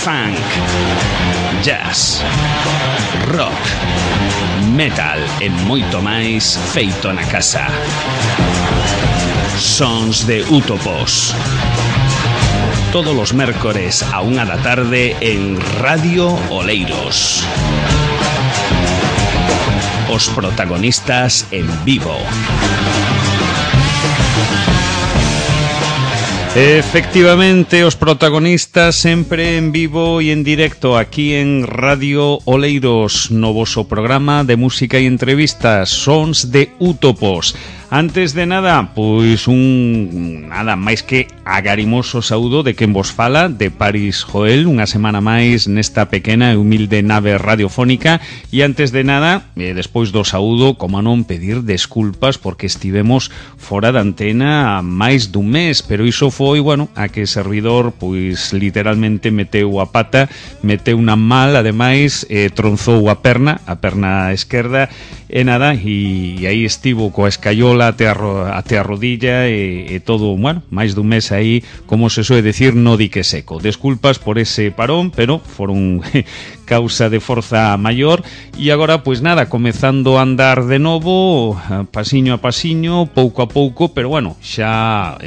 funk, jazz, rock, metal e moito máis feito na casa. Sons de Útopos. Todos os mércores a 1 da tarde en Radio Oleiros. Os protagonistas en vivo. Efectivamente, os protagonistas sempre en vivo e en directo aquí en Radio Oleiros, no voso programa de música e entrevistas, Sons de Útopos. Antes de nada, pois nada máis que agarimoso saúdo de quen vos fala, de Paris Joel, unha semana máis nesta pequena e humilde nave radiofónica. E antes de nada, despois do saúdo, como non, pedir desculpas porque estivemos fora da antena máis dun mes, pero iso foi, bueno, a que o servidor, pois, literalmente meteu a pata, meteu unha mal, ademais, tronzou a perna esquerda, e nada, e aí estivo coa escaiola até a rodilla e todo, bueno, máis dun mes aí, como se soe decir, no dique seco. Desculpas por ese parón, pero foron causa de forza maior. E agora, pois nada, comezando a andar de novo, pasiño a pasiño, pouco a pouco, pero bueno, xa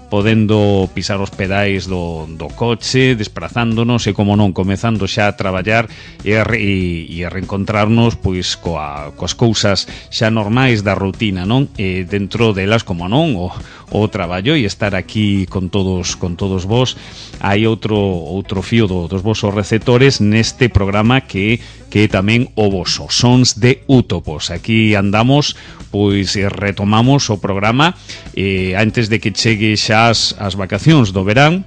podendo pisar os pedais do coche, desprazándonos e, como non, comezando xa a traballar e a reencontrarnos pois coas cousas xa normais da rutina, non? E dentro delas, como non, o traballo e estar aquí con todos vos. Hai outro fío dos vosos receptores neste programa que tamén o voso, Sons de Útopos. Aquí andamos, pois retomamos o programa antes de que chegue xa as vacacións do verán,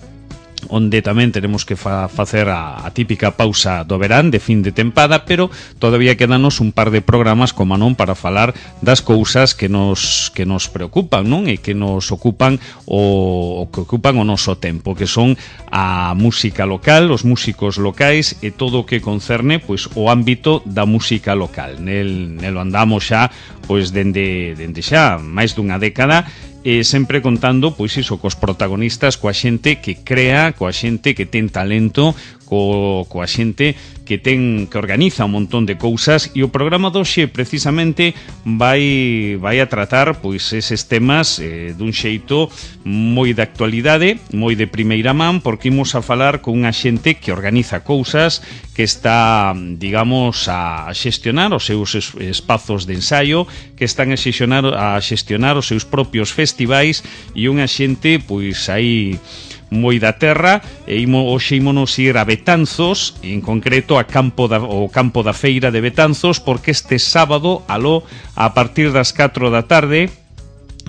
onde tamén tenemos que facer a típica pausa do verán de fin de tempada, pero todavía quedanos un par de programas, como non, para falar das cousas que nos preocupan, non? E que nos ocupan o que ocupan o noso tempo, que son a música local, os músicos locais e todo o que concerne pois o ámbito da música local. Nelo andamos xa pois dende xa máis dunha década, e sempre contando, pois iso, cos protagonistas, coa xente que crea, coa xente que ten talento, coa xente que organiza un montón de cousas. E o programa doxe precisamente vai a tratar pois eses temas dun xeito moi de actualidade, moi de primeira man, porque imos a falar con unha xente que organiza cousas, que está, digamos, a xestionar os seus espazos de ensaio, que están a xestionar os seus propios festivais, e unha xente pois aí moi da terra. E hoxe ímonos ir a Betanzos, en concreto ao campo da feira de Betanzos, porque este sábado, a partir das 4 da tarde,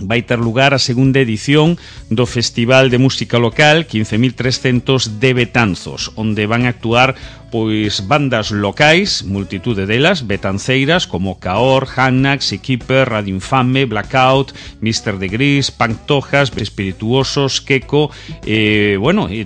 vai ter lugar a segunda edición do Festival de Música Local 15.300 de Betanzos, onde van a actuar pois bandas locais, multitude delas, betanceiras, como Caor, Hannax, Equiper, Radio Infame, Blackout, Mr. de Gris, Pantojas, Espirituosos, Queco, e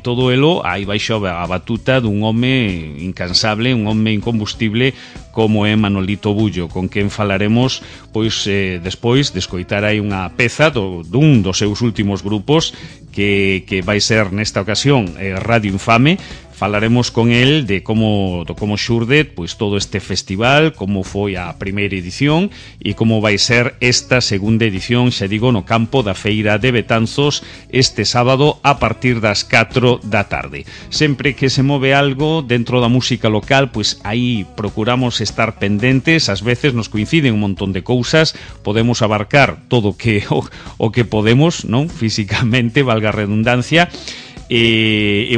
todo elo aí baixo a batuta dun home incansable, un home incombustible como é Manolito Bullo, con quen falaremos pois despois de escoitar aí unha peza dun dos seus últimos grupos que vai ser nesta ocasión Radio Infame. Falaremos con el de como xurde pois todo este festival, como foi a primeira edición e como vai ser esta segunda edición, xa digo, no campo da feira de Betanzos este sábado a partir das 4 da tarde. Sempre que se move algo dentro da música local, pois aí procuramos estar pendentes. Ás veces nos coinciden un montón de cousas, podemos abarcar todo o que podemos, non? Físicamente, valga a redundancia. E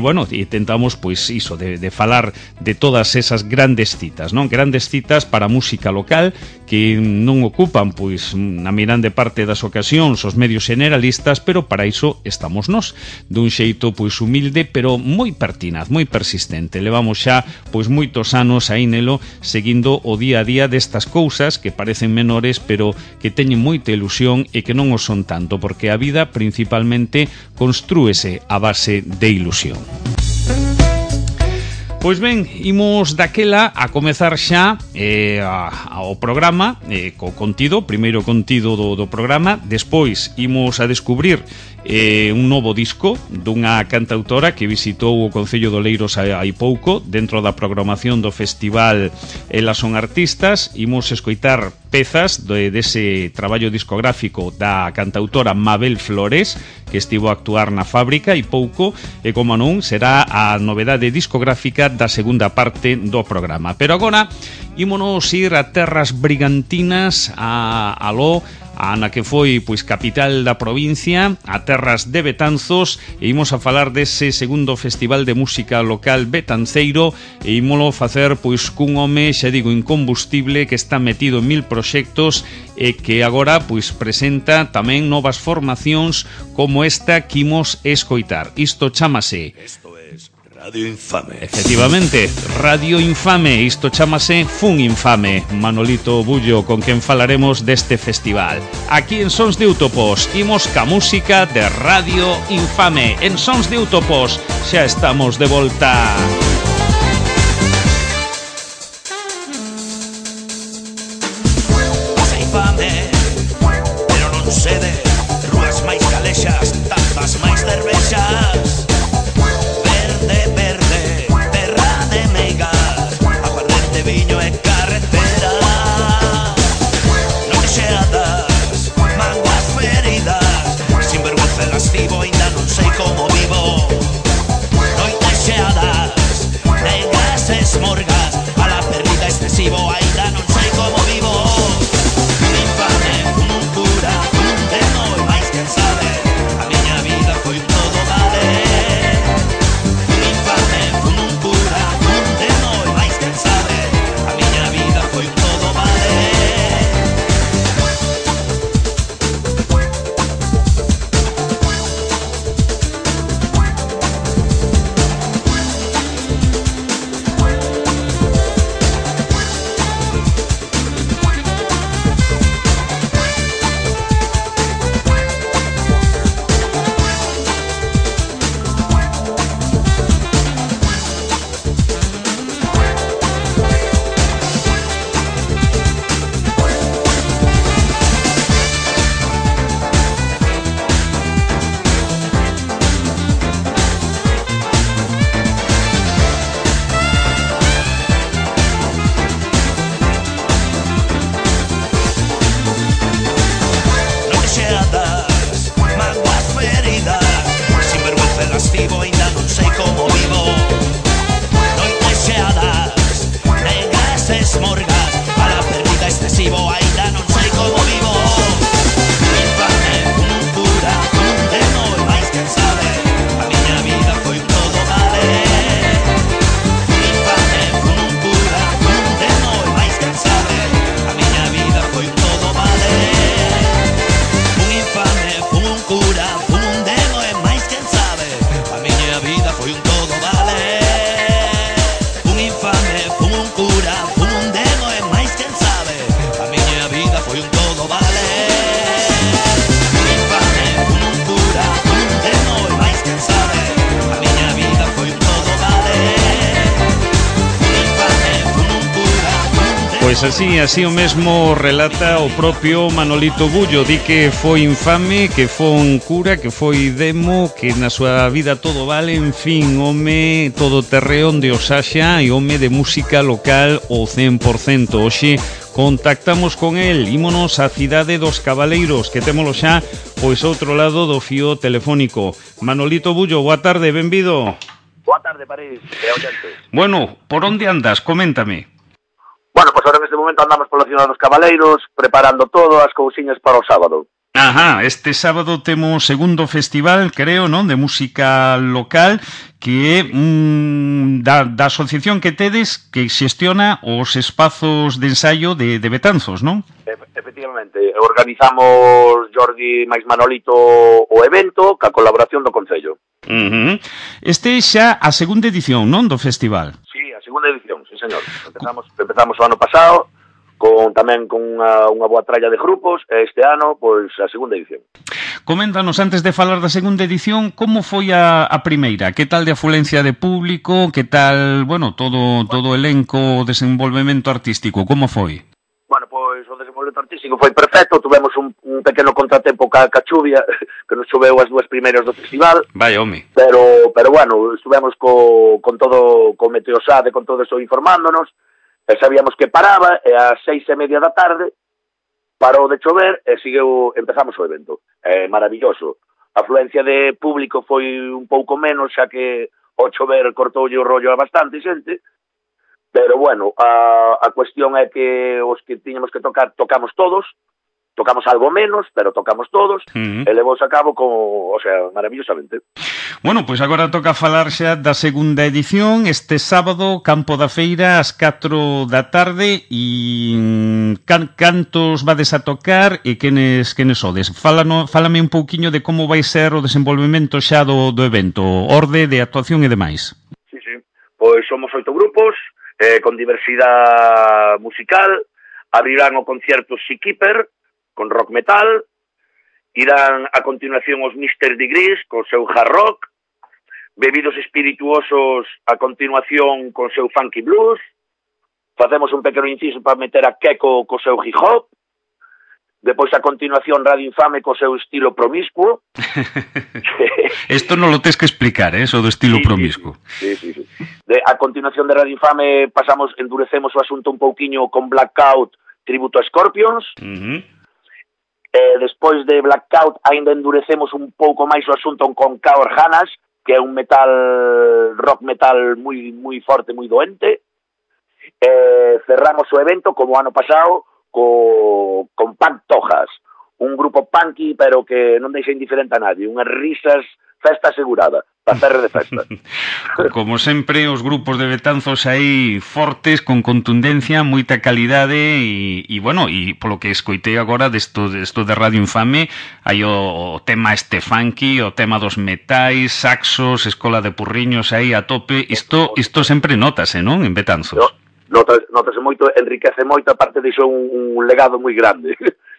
tentamos pois iso de falar de todas esas grandes citas, non? Grandes citas para a música local que non ocupan pois na mirande parte das ocasións os medios generalistas, pero para iso estamos nós, dun xeito pois humilde, pero moi pertinaz, moi persistente. Levamos xa pois moitos anos aí nelo, seguindo o día a día destas cousas que parecen menores, pero que teñen moita ilusión e que non o son tanto, porque a vida principalmente construíse a base de ilusión. Pois ben, imos daquela a comezar xa ao programa co contido, primeiro contido do programa, despois imos a descubrir un novo disco dunha cantautora que visitou o Concello de Oleiros hai pouco dentro da programación do festival Elas son artistas. Imos escoitar pezas dese traballo discográfico da cantautora Mabel Flores, que estivo a actuar na Fábrica hai pouco, e como non, será a novedade discográfica da segunda parte do programa. Pero agora ímonos ir a terras brigantinas, a Aló, a na que foi pois capital da provincia, a terras de Betanzos, e imos a falar dese segundo festival de música local betanceiro, e ímolo facer pois cun home, xa digo, incombustible, que está metido en 1000 proxectos e que agora pois presenta tamén novas formacións como esta que imos escoitar. Isto chámase Radio Infame. Efectivamente, Radio Infame. Isto chámase Fun Infame. Manolito Bullo, con quen falaremos deste festival. Aquí en Sons de Útopos imos ca música de Radio Infame. En Sons de Útopos xa estamos de volta. Pasa infame, pero non cede. Rúas máis calexas, tapas máis cervexas. Viño e carretera, non xeadas, manguas feridas, sin vergüenza lascivo, ainda non sei como vivo. Noites xeadas, negas esmorgas, a la perdida excesivo, ainda non sei como vivo. Un infame, un cura, un demo, e máis quen sabe, a miña vida foi todo vale. Un infame, un cura, un demo, e máis quen sabe, foi todo vale. Pois así o mesmo relata o propio Manolito Bullo. Di que foi infame, que foi un cura, que foi demo, que na súa vida todo vale. En fin, home todo terreo onde o saxa e home de música local o 100%. Oxe, contactamos con el, ímonos á cidade dos Cabaleiros, que témolo xa pois outro lado do fío telefónico. Manolito Bullo, boa tarde, benvido. Boa tarde, París, e oyentes. Bueno, por onde andas? Coméntame. Bueno, pois ahora neste momento andamos pola ciudad dos Cabaleiros, preparando todo as cousiñas para o sábado. Ajá, este sábado temos segundo festival, creo, non, de música local, que é da asociación que tedes, que xestiona os espazos de ensaio de Betanzos, non? Efectivamente, organizamos Jordi máis Manolito o evento, ca colaboración do Concello. Este é xa a segunda edición, non, do festival? Sí, a segunda edición, sí, señor. Empezamos o ano pasado tamén con unha boa tralla de grupos, e este ano, pois, a segunda edición. Coméntanos, antes de falar da segunda edición, como foi a primeira? Que tal de afluencia de público? Que tal, bueno, todo o elenco, o desenvolvemento artístico? Como foi? Bueno, pois o desenvolvemento artístico foi perfecto, tuvemos un pequeno contratempo ca chuvia, que nos choveu as dúas primeiras do festival. Vai, home. Pero bueno, estuvemos con todo, con Meteosade, con todo eso informándonos, e sabíamos que paraba, e ás 6:30 da tarde parou de chover e empezamos o evento. Maravilloso. A afluencia de público foi un pouco menos, xa que o chover cortoulle o rollo a bastante xente, pero bueno, a cuestión é que os que tiñamos que tocar, tocamos todos, tocamos algo menos, pero tocamos todos, e levou a cabo maravillosamente. Bueno, pois agora toca falar xa da segunda edición, este sábado, Campo da Feira, ás 4 da tarde, e cantos vades a tocar e quenes sodes? Fálame un pouquiño de como vai ser o desenvolvemento xa do evento, orde de actuación e demais. Sí. Pois somos 8 grupos, con diversidade musical, abrirán o concierto Seakeeper, con rock metal, irán a continuación os Mr. Degrees, con seu hard rock, Bebidos Espirituosos a continuación con seu funky blues, facemos un pequeno inciso para meter a Keko co seu hip hop, depois a continuación Radio Infame co seu estilo promiscuo. Isto non lo tes que explicar, eso do estilo promiscuo. Sí. A continuación de Radio Infame endurecemos o asunto un pouquiño con Blackout, tributo a Scorpions. Despois de Blackout ainda endurecemos un pouco máis o asunto con Coward Hanas, que é un rock metal moi forte, moi doente. Cerramos o evento, como o ano pasado, con Punk Tojas, un grupo punky, pero que non deixa indiferente a nadie, unhas risas, festa asegurada, para cerre de festa. Como sempre, os grupos de Betanzos aí fortes, con contundencia, moita calidade e bueno, e polo que escoitei agora desto de Radio Infame, hai o tema este funky, o tema dos metais, saxos, escola de purriños aí a tope, isto sempre notase, non, en Betanzos? Notase moito, enriquece moito, aparte deixou un legado moi grande.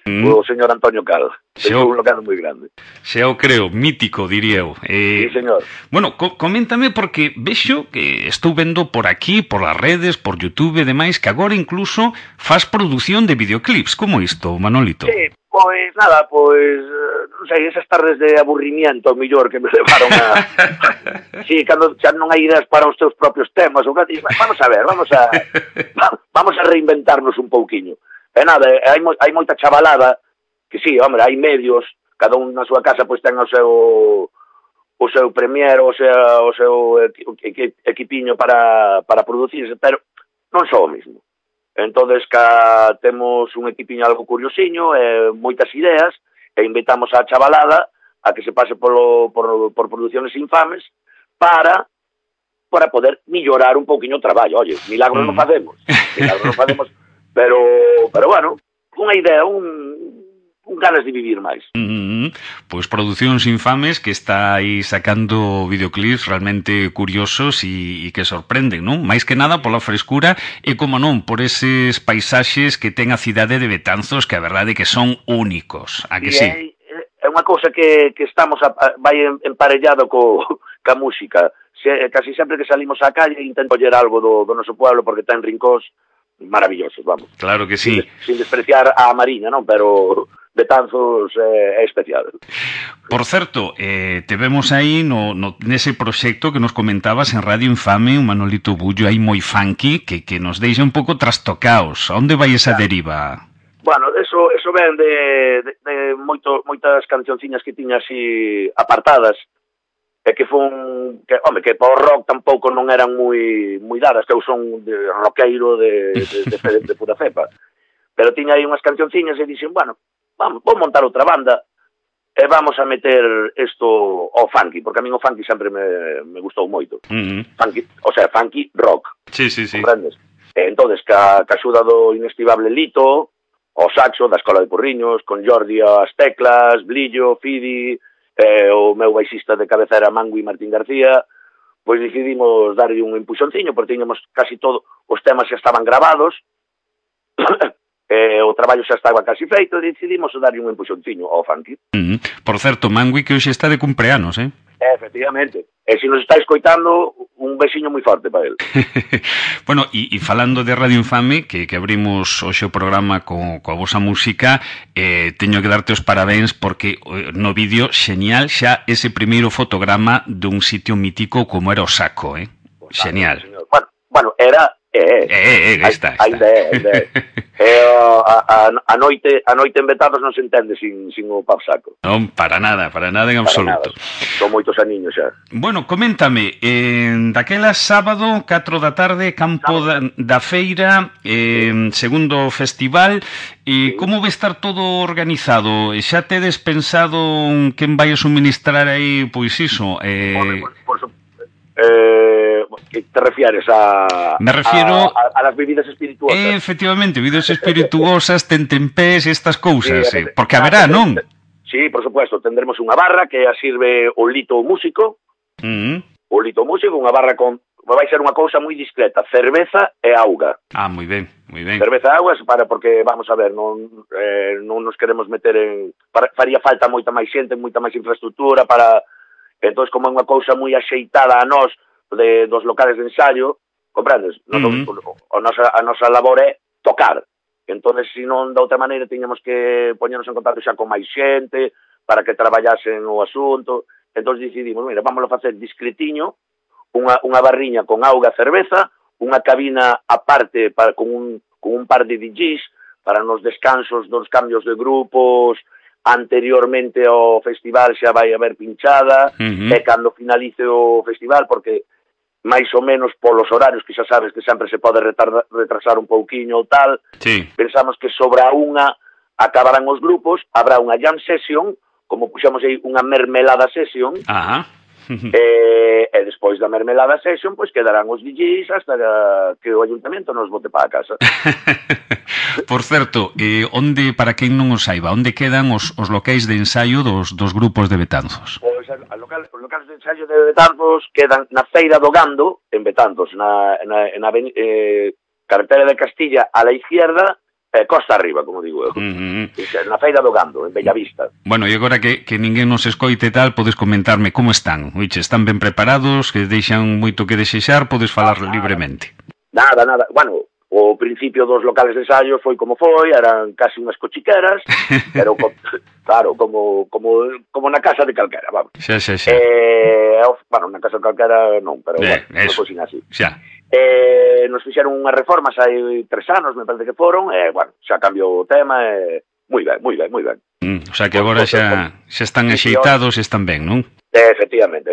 O señor Antonio Cal. Deixou un legado moi grande. Xa o creo, mítico, diría eu. Sí, señor. Bueno, coméntame, porque vexo que estou vendo por aquí, por as redes, por YouTube e demais, que agora incluso faz produción de videoclips. Como isto, Manolito? Sí, pois nada, non sei, esas tardes de aburrimiento, mellor, que me levaron a... Sí, cando xa non hai ideas para os teus propios temas, vamos a ver, vamos a reinventarnos un pouquiño. E nada, hai moita chavalada, que sí, hombre, hai medios, cada un na súa casa pois ten o seu premier, o seu equipiño para producirse, pero non só o mismo. Entonces, temos un equipiño algo curiosiño, moitas ideas, e invitamos a chavalada a que se pase por Produciones Infames para poder mellorar un pouquiño o traballo. Oye, milagros non facemos, pero bueno, unha idea, un ganas de vivir máis. Pois Producións Infames, que está aí sacando videoclips realmente curiosos e que sorprenden, non? Máis que nada pola frescura e, como non, por eses paisaxes que ten a cidade de Betanzos, que a verdade que son únicos, a que sí? É unha cousa que estamos vai emparellado ca música. Casi sempre que salimos á calle intento oller algo do noso pueblo, porque ten rincóns maravillosos, vamos. Claro que sí. Sin despreciar a Mariña, non? Pero Betanzos é especial. Por certo, te vemos aí nese proxecto que nos comentabas en Radio Infame, un Manolito Bullo aí moi funky, que nos deixa un pouco trastocaos. A onde vai esa deriva? Bueno, eso ven de moitas cancionciñas que tiña así apartadas, e que que para o rock tampouco non eran moi dadas, que eu son roqueiro de pura cepa. Pero tiña aí unhas cancionciñas e dixen, bueno, vou montar outra banda e vamos a meter isto ao funky, porque a min o funky sempre me gustou moito. Funky, o sea, funky rock. Sí. Comprendes? E entonces, ca axuda do inestimable Lito, o saxo da Escola de Porriños, con Jordi as teclas, Blillo, Fidi, o meu baixista de cabecera Mangui Martín García, pois decidimos darlle un empuxonciño, porque tiñamos casi todo, os temas xa estaban gravados, o traballo xa estaba casi feito e decidimos darlle un empuxonciño ao funky. Por certo, Mangui que hoxe está de cumpleanos, Efectivamente. E se nos está escoitando, un besiño moi forte para él. Bueno, e falando de Radio Infame, que abrimos hoxe o programa coa vosa música, teño que darte os parabéns porque no vídeo xenial xa ese primeiro fotograma dun sitio mítico como era o Saco, Xenial. Bueno, era... Está. Ainda é. A noite en Betanzos non se entende sin o pub Saco. Non, para nada en absoluto. Son moitos aniños xa. Bueno, coméntame, daquela sábado, 4 da tarde, campo da feira, segundo festival, como vai estar todo organizado? Xa tedes pensado quen vai a suministrar aí, pois iso? Por suposto. Que te refieres Me refiero a las bebidas espirituosas. Efectivamente, bebidas espirituosas, tentempés, estas cousas, porque haberá, non? Sí, por supuesto, tendremos unha barra que a sirve o Lito Músico. O Lito Músico, unha barra con vai ser unha cousa moi discreta, cerveza e auga. Moi ben. Cerveza e auga porque vamos a ver, non nos queremos meter en faría falta moita máis xente, moita máis infraestructura para. Entón, como é unha cousa moi axeitada a nós dos locales de ensayo, comprendes? A nosa labor é tocar. Entón, se non da outra maneira, tiñamos que poñernos en contacto xa con máis xente para que traballasen o asunto. Entón, decidimos, mira, vámoslo a facer discretiño, unha barriña con auga e cerveza, unha cabina aparte con un par de DJs para nos descansos dos cambios de grupos. Anteriormente ao festival xa vai haber pinchada, e cando finalice o festival, porque máis ou menos polos horarios que xa sabes que sempre se pode retrasar un pouquiño ou tal, pensamos que sobre a unha acabarán os grupos, habrá unha jam session, como puxamos aí unha mermelada session, e despois da mermelada session, pois quedarán os DJs hasta que o ayuntamento nos bote para a casa. Por certo, onde, para quen non o saiba, onde quedan os locais de ensaio dos grupos de Betanzos? Pois os locais de ensaio de Betanzos quedan na Feira do Gando, en Betanzos, na carretera de Castilla a la izquierda, costa arriba, como digo eu. Na Feira do Gando, en Bellavista. Bueno, e agora que ninguén nos escoite tal, podes comentarme como están? Oiche, están ben preparados, que deixan moito que desexar, podes falar libremente. Nada. Bueno, o principio dos locales de ensayo foi como foi, eran casi unhas cochiqueras, pero claro, como na casa de calquera, vamos. Xa. Bueno, na casa de calquera non, pero non foi sin así. Xa. Nos fixeron unhas reformas hai 3 anos, me parece que foron, bueno, xa cambiou o tema, moi ben. O sea que agora xa están axeitados e están ben, non? Efectivamente.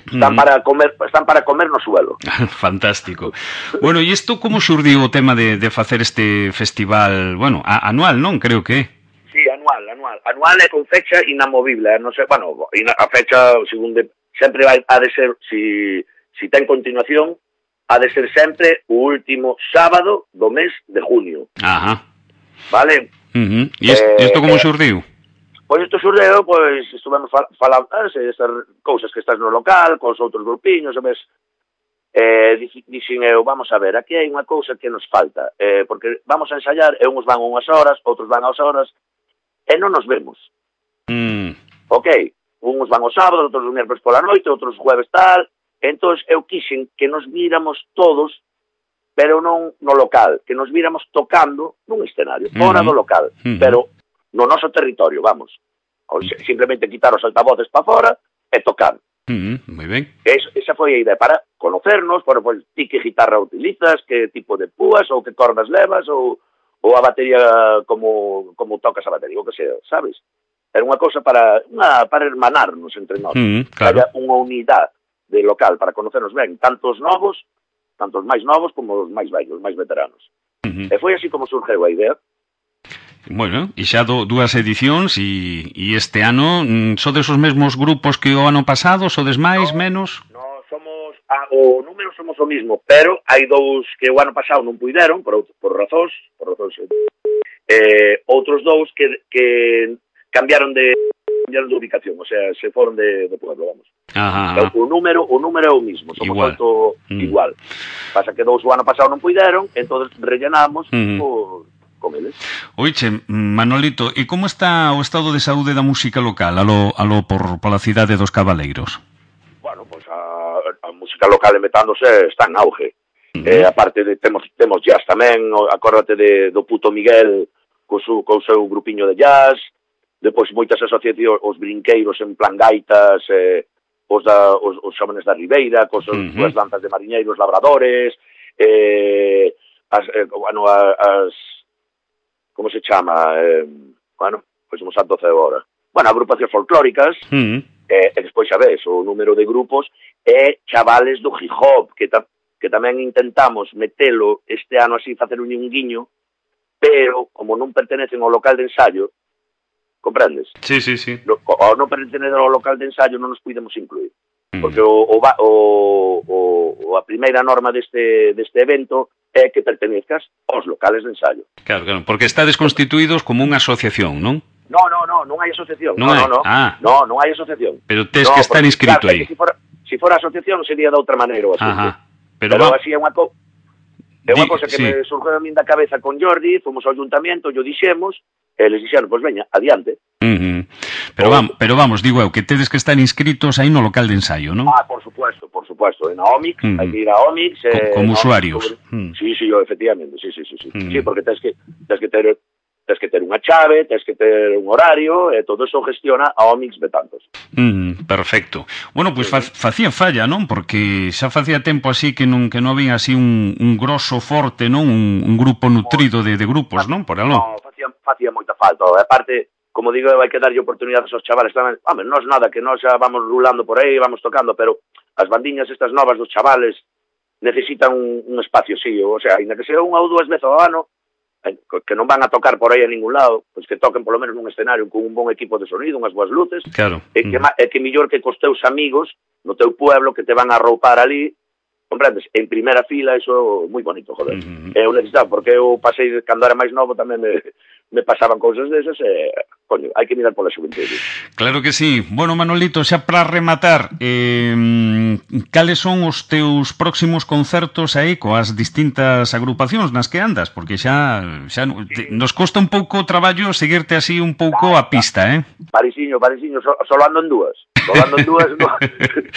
Están para comer no suelo. Fantástico. Bueno, e isto como xurdiu o tema de facer este festival, bueno, anual, non? Creo que Sí, anual. Anual é con fecha inamovible, non sei, bueno, a fecha, segundo, sempre ha de ser, si ten continuación, ha de ser sempre o último sábado do mes de junio. Vale? E isto como xurdiu? Pois isto xurdeu, pois estuvemos falando esas cousas que estás no local, cos outros grupiños, sabes? Dixen eu, vamos a ver, aquí hai unha cousa que nos falta, porque vamos a ensayar, e uns van unhas horas, outros van ás horas, e non nos vemos. Ok, uns van os sábados, outros os miércoles pola noite, outros jueves tal, entón eu quixen que nos víramos todos, pero non no local, que nos víramos tocando nun escenario, fora do local, pero no noso territorio, vamos. Simplemente quitar os altavoces para fora e tocar. Moi ben. Esa foi a idea, para conocernos, por ti que guitarra utilizas, que tipo de púas, ou que cordas levas, ou a batería, como tocas a batería, o que sea, sabes? Era unha cousa para hermanarnos entre nós. Claro. Haya unha unidade de local para conocernos ben, tantos máis novos como os máis vellos, máis veteranos. E foi así como surgeu a idea. Bueno, e xa dúas edicións e este ano sodes os mesmos grupos que o ano pasado, sodes máis, menos? No, somos o número somos o mismo, pero hai dous que o ano pasado non puideron por razóns, outros dous que cambiaron de ubicación, o sea, se foron de pueblo, vamos. O número é o mismo, somos igual. Pasa que dous o ano pasado non puideron, entonces rellenamos con eles. Oiche, Manolito, e como está o estado de saúde da música local pola cidade dos Cabaleiros? Bueno, pois a música local en Betándose está en auge. Aparte de temos jazz tamén, acórdate do puto Miguel co seu grupiño de jazz, depois moitas asociacións, os brinqueiros en plan gaitas, os xóvenes da Ribeira, as danzas de mariñeiros, labradores, como se chama? Pois non santo ceo agora. Bueno, agrupacións folclóricas, e despois xa ves, o número de grupos e chavales do hip hop, que tamén intentamos metelo este ano así, facer un guiño, pero como non pertenecen ao local de ensayo, comprendes? Sí. Ao non pertenecer ao local de ensayo non nos podemos incluir. Porque a primeira norma deste evento é que pertenezcas aos locales de ensayo. Claro, porque estades constituídos como unha asociación, non? Non hai asociación. Non hai asociación. Pero tes que estar inscrito aí. Se fora asociación sería de outra maneira o asunto. Pero así é unha cosa que me surgiu a min da cabeza con Jordi, fomos ao ayuntamiento, yo dixemos, e les dixeron, pois veña, adiante. Pero vamos, digo eu, que tedes que estar inscritos aí no local de ensaio, non? Por supuesto, en a Omix, hai que ir a Omix. Como usuarios. Sí, efectivamente, sí. Sí, porque tens que ter unha chave, tens que ter un horario, e todo eso gestiona a Omix Betanzos. Perfecto. Bueno, pois facía falla, non? Porque xa facía tempo así que non había así un grosso forte, non? Un grupo nutrido de grupos, non? Por aló. Non, facía moita falta. Aparte, como digo, hai que darlle oportunidades aos chavales tamén. Home, non é nada, que nós xa vamos rulando por aí, vamos tocando, pero as bandiñas estas novas dos chavales necesitan un espacio, sí, o sea, ainda que sea unha ou dúas veces ao ano, que non van a tocar por aí a ningún lado, pois que toquen polo menos nun escenario con un bon equipo de sonido, unhas boas luces, claro. E que millor que cos teus amigos no teu pueblo que te van a arroupar ali, comprendes, en primeira fila, iso moi bonito, joder. Eu necesitaba, porque eu pasei, cando era máis novo, tamén me pasaban cousas desas, e, coño, hai que mirar pola xuventude. Claro que sí. Bueno, Manolito, xa para rematar, cales son os teus próximos concertos aí coas distintas agrupacións nas que andas? Porque xa nos costa un pouco o traballo seguirte así un pouco a pista, Parisiño, solo ando en dúas.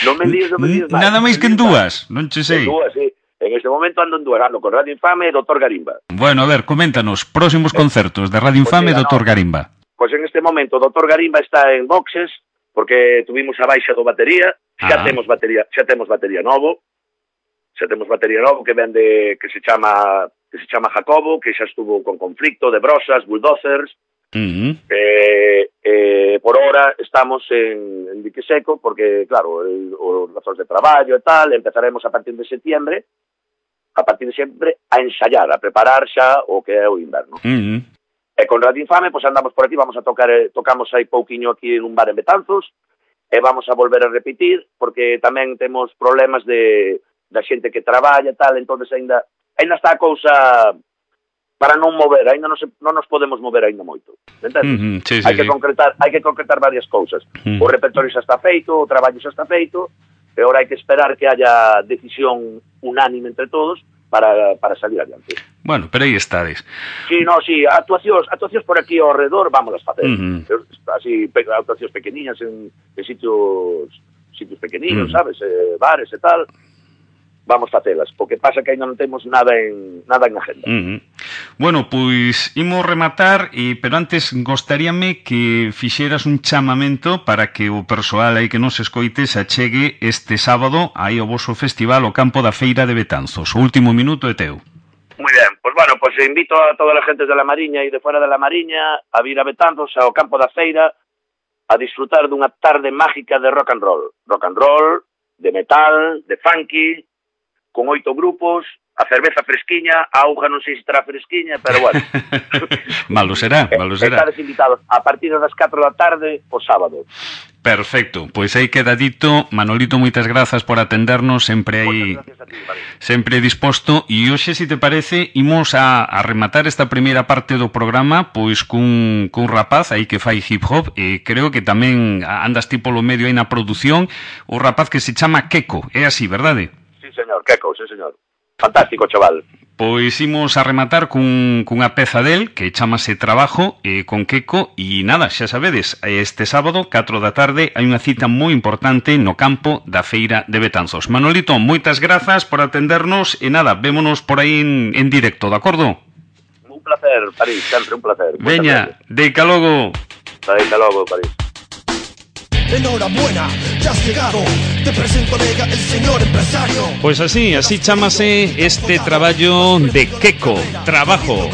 Non me días máis. Nada máis que en dúas, non che sei. En dúas, sí. En este momento ando en dúas, ando con Radio Infame e Dr. Garimba. Bueno, a ver, coméntanos, próximos concertos de Radio Infame e Dr. Garimba. Pois en este momento Dr. Garimba está en boxes, porque tuvimos a baixa do batería, xa temos batería novo, que vende, que se chama Jacobo, que xa estuvo con Conflicto, de Brosas, Bulldozers. Por hora estamos en dique seco, porque claro, os razóns de traballo e tal, empezaremos a partir de setembro a ensayar, a preparar xa o que é o inverno. E con Radio Infame, pois andamos por aquí, tocamos aí pouquiño aquí en un bar en Betanzos, e vamos a volver a repetir, porque tamén temos problemas da xente que traballa e tal, entonces ainda está a cousa para non mover, ainda non nos podemos mover ainda moito, entendes? Sí, hai que concretar varias cousas. O repertorio xa está feito, o traballo xa está feito, e agora hai que esperar que haya decisión unánime entre todos para salir adiante. Bueno, pero aí estades. Sí, actuacións por aquí ao redor vámonos facer. Así, actuacións pequeniñas en sitios pequeniños, sabes, bares e tal. Vamos facelas, o que pasa que ainda non temos nada en agenda. Bueno, pois imos rematar, pero antes gostaríame que fixeras un chamamento para que o persoal aí que nos escoite se achegue este sábado aí ao voso festival o Campo da Feira de Betanzos. O último minuto é teu. Moi ben, pois invito a todas as gentes de la Mariña e de fora de la Mariña a vir a Betanzos ao Campo da Feira a disfrutar dunha tarde mágica de rock and roll, de metal, de funky, con 8 grupos, a cerveza fresquiña, a auga non sei se estará fresquiña, pero bueno. Malo será. Estades invitados a partir das 4 da tarde o sábado. Perfecto, pois aí queda dito. Manolito, moitas grazas por atendernos, sempre aí, sempre disposto. E hoxe, se te parece, imos a rematar esta primeira parte do programa pois cun rapaz aí que fai hip hop, e creo que tamén andas ti polo medio aí na produción, o rapaz que se chama Keko, é así, verdade? Sí, señor, Keko, sí, señor. Fantástico, chaval. Pois imos a rematar cunha peza del que chamase Trabajo, con Queco, e nada, xa sabedes, este sábado, 4 da tarde, hai unha cita moi importante no campo da Feira de Betanzos. Manolito, moitas grazas por atendernos e nada, vémonos por aí en directo, de acordo? Un placer, París, sempre un placer. Veña, deica logo. Deica logo, París. Enhorabuena, ya has llegado. Te presento, Vega, el señor empresario. Pois así chamase este traballo de Queco, Trabajo.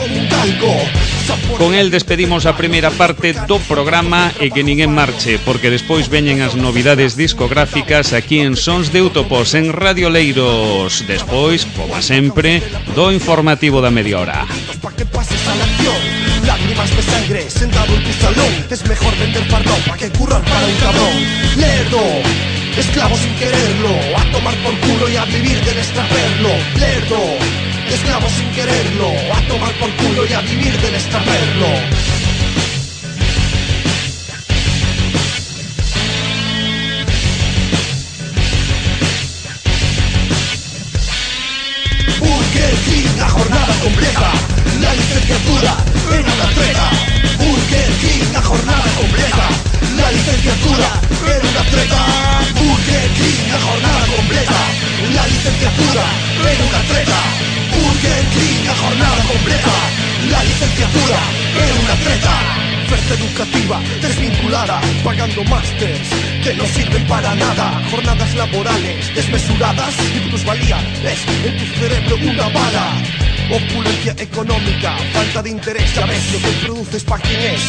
Con el despedimos a primeira parte do programa e que ninguén marche, porque despois veñen as novidades discográficas aquí en Sons de Útopos, en Radio Oleiros. Despois, como sempre, do informativo da media hora. Pa' que pases a la acción. Lágrimas de sangre, sentado en tu salón. Es mejor vender pardón pa' que currar para un cabrón. Lerdo, esclavo sin quererlo. A tomar por culo y a vivir del extraperlo. Lerdo, esclavo sin quererlo. A tomar por culo y a vivir del extraperlo. Burger King, la jornada completa. La licenciatura en una treta. Burger King, la jornada completa. La licenciatura en una treta. Burger King, la jornada completa. La licenciatura en una treta. Burger King, la jornada completa. La licenciatura en una treta. Oferta educativa desvinculada, pagando másters que no sirven para nada. Jornadas laborales desmesuradas y plusvalía es en tu cerebro una bala. Opulencia económica, falta de interés, ya ves lo que produces pa' quién es.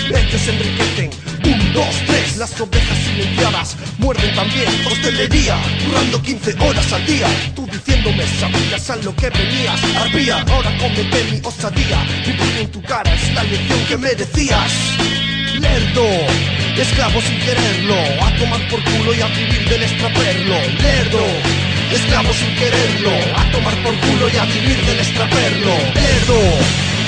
Ellos se enriquecen, 1, 2, 3, las ovejas silenciadas muerden también. Hostelería, currando 15 horas al día. Tú diciéndome, sabías a lo que venías. Arpía, ahora cómete mi osadía. Mi puño en tu cara es la lección que merecías. Lerdo, esclavo sin quererlo. A tomar por culo y a vivir del extraperlo. Lerdo, esclavo sin quererlo. A tomar por culo y a vivir del extraperlo. Lerdo,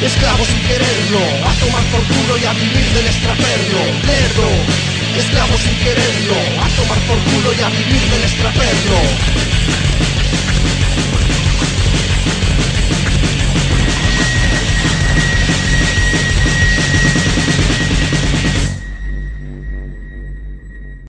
esclavo sin quererlo. A tomar por culo y a vivir del extraperlo. Lerdo, esclavo sin quererlo. A tomar por culo y a vivir del extraperlo.